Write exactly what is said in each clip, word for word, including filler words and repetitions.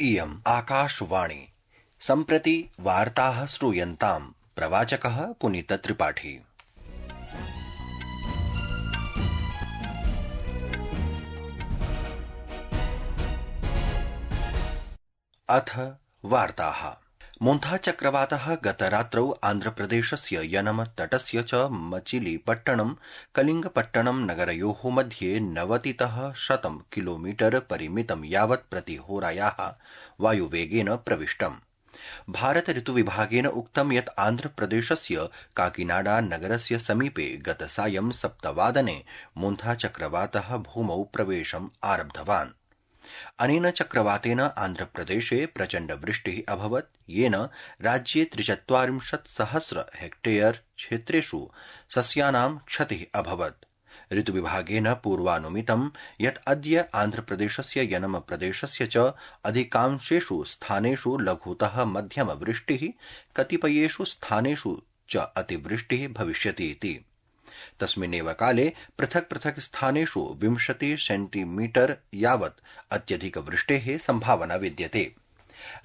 इयम् आकाशवाणी। सम्प्रति वार्ताः श्रूयन्ताम्। प्रवाचकः पुनीत त्रिपाठी। अथ वार्ताः। मोन्था चक्रवातः गतरात्रौ आन्ध्रप्रदेशस्य यनम तटस्य च मचिलीपट्टणं कलिंगपट्टणं नगरयोः मध्ये नवतितः शतं किलोमीटर परिमितं यावत् प्रतिहोरायाः वायुवेगेन प्रविष्टम्। भारत ऋतुविभागेन उक्तं यत् आन्ध्रप्रदेशस्य काकीनाडा नगरस्य समीपे गतसायं सप्तवादने मोन्था चक्रवातः भूमौ प्रवेशम् आरब्धवान्। अनेन चक्रवातेन आन्ध्रप्रदेशे प्रचण्ड वृष्टिः अभवत्, येन राज्ये त्रिचत्वारिंशत् सहस्र हेक्टेयर क्षेत्रेषु सस्यानां क्षतिः अभवत्। ऋतुविभागेन पूर्वानुमितं यत् अद्य आन्ध्रप्रदेशस्य यनम प्रदेशस्य च अधिकांशेषु स्थानेषु लघुतः मध्यम वृष्टिः, कतिपयेषु स्थानेषु च अतिवृष्टिः भविष्यति इति। तस्मिन्नेव काले पृथक् पृथक् स्थानेषु विंशति सेंटीमीटर यावत् अत्यधिक वृष्टेः संभावना विद्यते।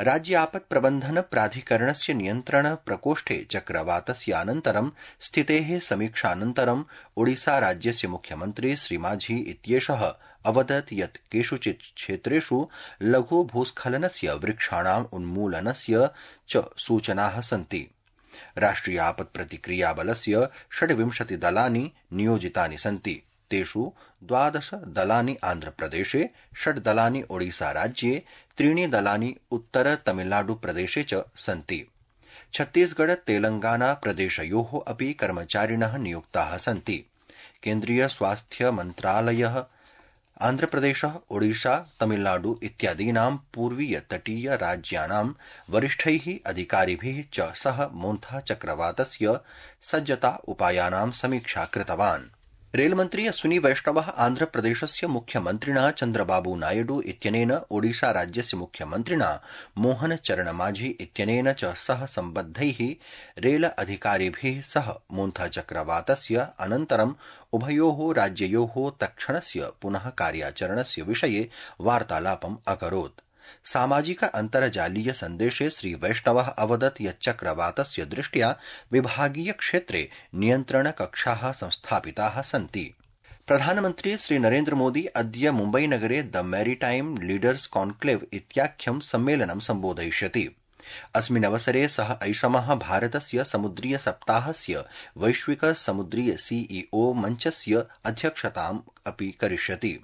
राज्य आपत् प्रबन्धन प्राधिकरणस्य नियन्त्रण प्रकोष्ठे चक्रवातस्यानन्तरं स्थितेः समीक्षानन्तरं ओडिसा राज्यस्य मुख्यमन्त्री श्रीमाझी इत्येषः अवदत् यत् केषुचित् क्षेत्रेषु लघु भूस्खलनस्य, वृक्षाणाम् उन्मूलनस्य च सूचनाः सन्ति। राष्ट्रिय आपत् प्रतिक्रिया बलस्य षड्विंशति दलानि नियोजितानि सन्ति। तेषु द्वादश दलानि आन्ध्रप्रदेशे, षड् दलानि ओडिसा राज्ये, त्रीणि दलानि उत्तर तमिलनाडु प्रदेशे च सन्ति। छत्तीसगढ़ तेलंगाना प्रदेशयोः अपि कर्मचारिणः नियुक्ताः सन्ति। केन्द्रीय स्वास्थ्य मन्त्रालयः आन्ध्रप्रदेशः, ओडिशा, तमिलनाडु इत्यादीनां पूर्वीय तटीय राज्यानां वरिष्ठैः अधिकारिभिः च सह मोन्था चक्रवातस्य सज्जता उपायानां समीक्षा कृतवान्। रेलमन्त्री अश्विनी वैष्णवः आन्ध्रप्रदेशस्य मुख्यमन्त्रिणा चन्द्रबाबू नायडू इत्यनेन ओडिशा राज्यस्य मुख्यमन्त्रिणा मोहन चरण माझी इत्यनेन च सह सम्बद्धैः रेल अधिकारिभिः सह मोन्था चक्रवातस्य अनन्तरम् उभयोः राज्ययोः तत्क्षणस्य पुनः कार्याचरणस्य विषये वार्तालापम् अकरोत्। सामाजिक अन्तर्जालीय सन्देशे श्री वैष्णवः अवदत् यत् चक्रवातस्य दृष्ट्या विभागीय क्षेत्रे नियन्त्रण कक्षाः संस्थापिताः सन्ति। प्रधानमन्त्री श्री नरेन्द्र मोदी अद्य मुम्बईनगरे द मैरीटाइम लीडर्स कॉन्क्लेव इत्याख्यं सम्मेलनं सम्बोधयिष्यति। अस्मिन्नवसरे सः ऐषमः भारतस्य समुद्रीय सप्ताहस्य वैश्विक समुद्रीय सीईओ मञ्चस्य अध्यक्षताम् अपि करिष्यति।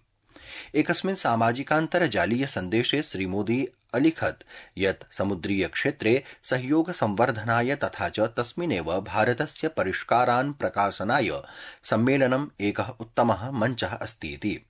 एकस्मिन् सामाजिकान्तर्जालीय सन्देशे श्रीमोदी अलिखत् यत् समुद्रीय क्षेत्रे सहयोग संवर्धनाय तथा च तस्मिन्नेव भारतस्य परिष्कारान् प्रकाशनाय सम्मेलनम् एकः उत्तमः मञ्चः अस्तीति।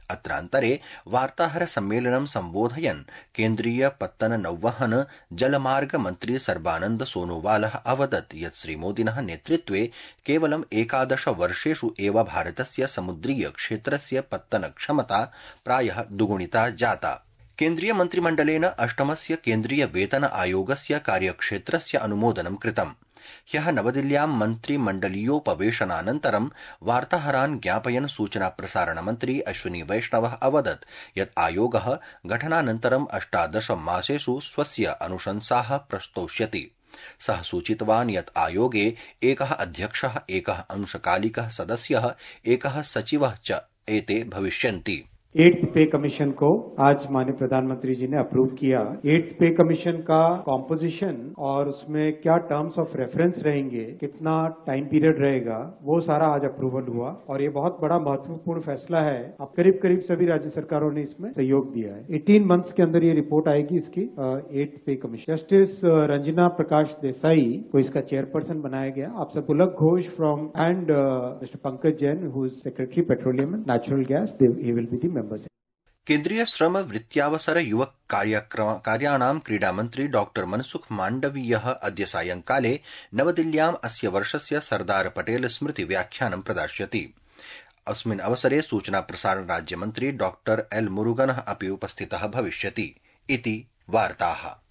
अत्रान्तरे वार्ताहर सम्मेलनं सम्बोधयन् केन्द्रीय पत्तन नौवहन जलमार्ग मन्त्री सर्बानन्द सोनोवालः अवदत् यत् श्रीमोदिनः नेतृत्वे केवलम् एकादश वर्षेषु एव भारतस्य समुद्रीय क्षेत्रस्य पत्तन क्षमता प्रायः द्विगुणिता जाता। केन्द्रीय मन्त्रिमण्डलेन अष्टमस्य केन्द्रीय वेतन आयोगस्य कार्यक्षेत्रस्य अनुमोदनं कृतम्। ह्यः नवदिल्ल्यां मन्त्रिमण्डलीयोपवेशनानन्तरं वार्ताहरान् ज्ञापयन् सूचना प्रसारण मन्त्री अश्विनी वैष्णवः अवदत् यत् आयोगः घटनानन्तरम् अष्टादश मासेषु स्वस्य अनुशंसाः प्रस्तौष्यति। सः सूचितवान् यत् आयोगे एकः अध्यक्षः, एकः अंशकालिकः सदस्यः, एकः सचिवः च एते भविष्यन्ति। एट्थ पे कमीशन को आज माननीय प्रधानमंत्री जी ने अप्रूव किया। एट्थ पे कमीशन का कॉम्पोजिशन और उसमें क्या टर्म्स ऑफ रेफरेंस रहेंगे, कितना टाइम पीरियड रहेगा, वो सारा आज अप्रूवल हुआ और ये बहुत बड़ा महत्वपूर्ण फैसला है। अब करीब करीब सभी राज्य सरकारों ने इसमें सहयोग दिया है। अठारह मंथ्स के अंदर ये रिपोर्ट आएगी इसकी eighth pay commission. Justice Ranjana Prakash Desai को इसका चेयरपर्सन बनाया गया। आप सब Pulak Ghosh from and mister Pankaj Jain who is secretary petroleum and natural gas, he will be the members. केन्द्रीय श्रम वृत्त्यावसर युवक कार्याणां क्रीडामन्त्री डॉक्टर मनसुख माण्डवीयः अद्य सायंकाले नवदिल्ल्याम् अस्य वर्षस्य सरदार पटेल स्मृति व्याख्यानं प्रदास्यति। अस्मिन् अवसरे सूचना प्रसारण राज्यमन्त्री डॉक्टर एल मुरुगनः अपि उपस्थितः भविष्यति इति वार्ताः।